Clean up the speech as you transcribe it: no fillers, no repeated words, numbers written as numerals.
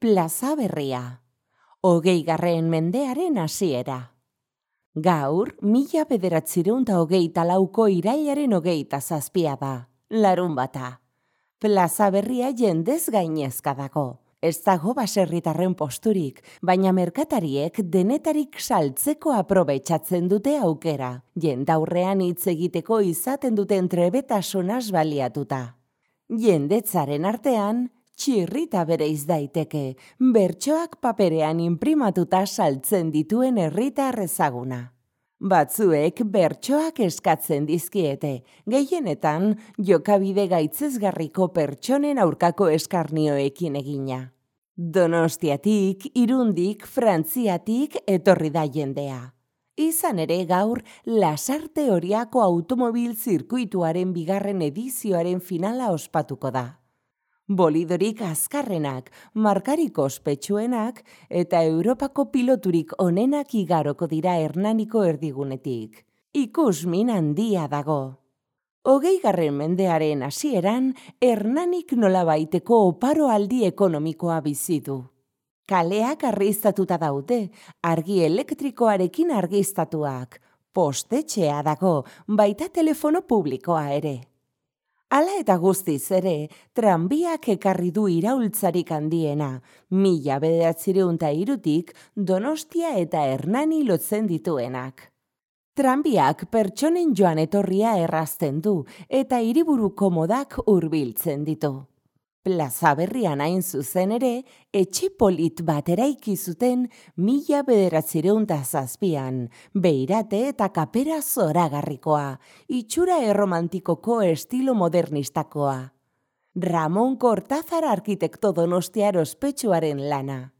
Plaza Berria, 20. mendearen hasiera. Gaur, 1924ko irailaren 27 da, larunbata. Plaza Berria jendez gainezka dago. Ez dago baserritarren posturik, baina merkatariek denetarik saltzeko aprobetxatzen dute aukera. Jendaurrean hitz egiteko izaten duten trebetasunaz baliatuta. Jendetzaren artean, txirrita bereiz daiteke, bertsoak paperean inprimatuta saltzen dituen herritar ezaguna. Batzuek bertsoak eskatzen dizkiete, gehienetan jokabide gaitzesgarriko pertsonen aurkako eskarnioekin egina. Donostiatik, Irundik, Frantziatik etorri da jendea. Izan ere gaur, Lasarte Oriako automobil zirkuituaren 2. edizioaren finala ospatuko da. Bolidorik azkarrenak, markarik ospetsuenak eta Europako piloturik onenak igaroko dira Hernaniko erdigunetik. Ikusmin handia dago. 20. mendearen hasieran, Hernanik nolabaiteko oparoaldi ekonomikoa bizi du. Kaleak argiztatuta daude, argi elektrikoarekin argiztatuak, postetxea dago, baita telefono publikoa ere. Hala eta guztiz ere, tranbiak ekarri du iraultzarik handiena, 1903tik Donostia eta Hernani lotzen dituenak. Tranbiak pertsonen joan etorria errazten du eta hiriburuko modak hurbiltzen ditu. Plaza Berrian hain zuzen ere, etxe polit bat eraiki zuten 1907an, beirate eta kapera zoragarrikoa, itxura erromantikoko estilo modernistakoa. Ramon Kortazar arkitekto donostiar ospetsuaren lana.